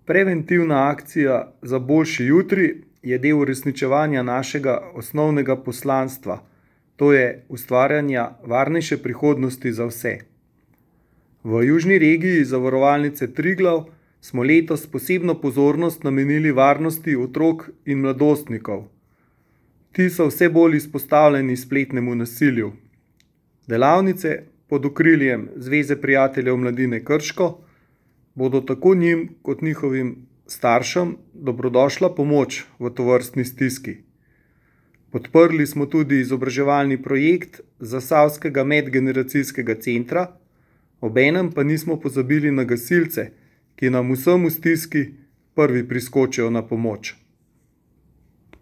Preventivna akcija za boljši jutri je del uresničevanja našega osnovnega poslanstva, to je ustvarjanja varnejše prihodnosti za vse. V južni regiji Zavarovalnice Triglav smo letos posebno pozornost namenili varnosti otrok in mladostnikov. Ti so vse bolj izpostavljeni spletnemu nasilju. Delavnice pod okriljem Zveze prijateljev mladine Krško bodo tako njim kot njihovim staršem dobrodošla pomoč v tovrstni stiski. Podprli smo tudi izobraževalni projekt Zasavskega medgeneracijskega centra, obenem pa nismo pozabili na gasilce, ki nam vsem v stiski prvi priskočijo na pomoč.